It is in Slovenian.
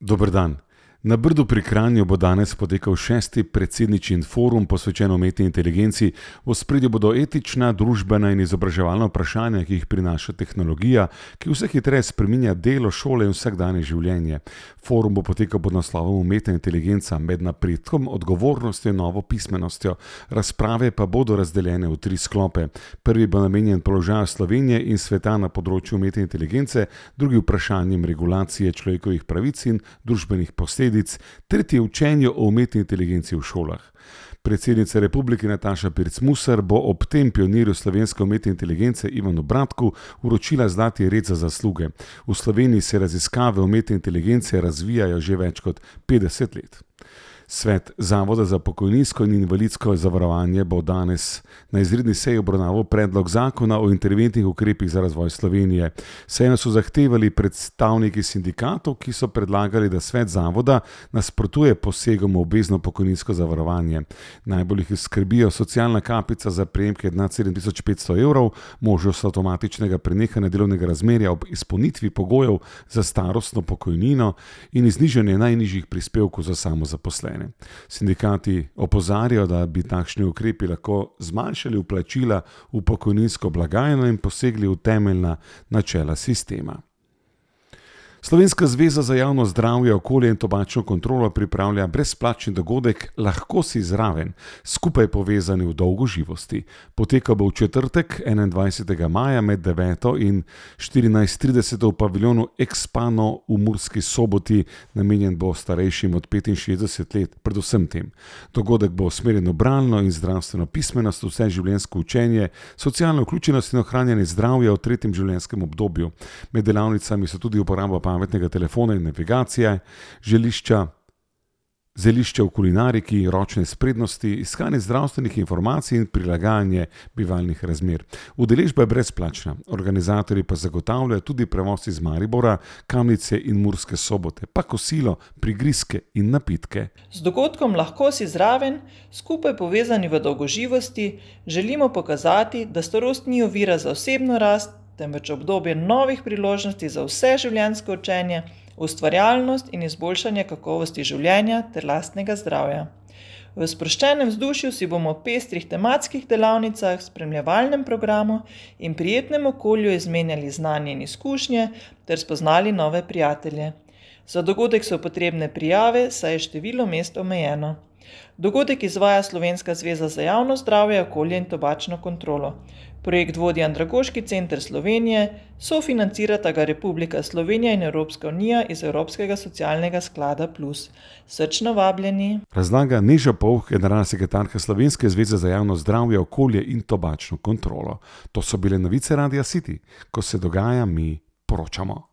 Dober dan. Na Brdu pri Kranju bo danes potekal 6. predsedničin forum posvečen umetni inteligenci. V ospredju bodo etična, družbena in izobraževalna vprašanja, ki jih prinaša tehnologija, ki vse hitreje spreminja delo, šole in vsakdanje življenje. Forum bo potekal pod naslovom Umetna inteligenca med napredkom, odgovornostjo in novo pismenostjo. Razprave pa bodo razdeljene v 3 sklope. Prvi bo namenjen položaju Slovenije in sveta na področju umetne inteligence, drugi vprašanjem regulacije človekovih pravic in družbenih posledic, tretje učenju o umetni inteligenci v šolah. Predsednica republike Nataša Pirc Musar bo ob tem pionirju slovenske umetne inteligence Ivanu Bratku vročila zlati red za zasluge. V Sloveniji se raziskave umetne inteligence razvijajo že več kot 50 let. Svet Zavoda za pokojninsko in invalidsko zavarovanje bo danes na izredni seji obravnaval predlog zakona o interventnih ukrepih za razvoj Slovenije. Sejo so zahtevali predstavniki sindikatov, ki so predlagali, da svet zavoda nasprotuje posegom v obvezno pokojninsko zavarovanje. Najbolj jih skrbijo socialna kapica za prejemke nad 7500 evrov, možnost avtomatičnega prenehanja delovnega razmerja ob izpolnitvi pogojev za starostno pokojnino in znižanje najnižjih prispevkov za samozaposlene. Sindikati opozarjajo, da bi takšni ukrepi lahko zmanjšali vplačila v pokojninsko blagajno in posegli v temeljna načela sistema. Slovenska zveza za javno zdravje, okolje in tobačno kontrolo pripravlja brezplačni dogodek Lahko si zraven, skupaj povezani v dolgoživosti. Potekal bo v četrtek, 21. maja med 9. in 14.30 v paviljonu Expano v Murski Soboti, namenjen bo starejšim od 65 let, predvsem tem. Dogodek bo usmerjen v bralno in zdravstveno pismenost, vseživljenjsko učenje, socialno vključenost in ohranjanje zdravja v 3. življenjskem obdobju. Med delavnicami so tudi uporaba pametnega telefona in navigacije, zelišča v kulinariki, ročne spretnosti, iskanje zdravstvenih informacij in prilagajanje bivalnih razmer. Udeležba je brezplačna, organizatorji pa zagotavljajo tudi prevoz iz Maribora, Kamnice in Murske Sobote, pa kosilo, prigrizke in napitke. Z dogodkom Lahko si zraven, skupaj povezani v dolgoživosti, želimo pokazati, da starost ni ovira za osebno rast, temveč obdobje novih priložnosti za vse življenjsko učenje, ustvarjalnost in izboljšanje kakovosti življenja ter lastnega zdravja. V sproščenem vzdušju si bomo v pestrih tematskih delavnicah, spremljevalnem programu in prijetnem okolju izmenjali znanje in izkušnje ter spoznali nove prijatelje. Za dogodek so potrebne prijave, saj je število mest omejeno. Dogodek izvaja Slovenska zveza za javno zdravje, okolje in tobačno kontrolo. Projekt vodi Andragoški center Slovenije, sofinancirata ga Republika Slovenija in Evropska unija iz Evropskega socialnega sklada Plus. Srčno vabljeni. Razlaga Neža Povh, generalna sekretarka Slovenske zveze za javno zdravje, okolje in tobačno kontrolo. To so bile novice Radia City. Ko se dogaja, mi poročamo.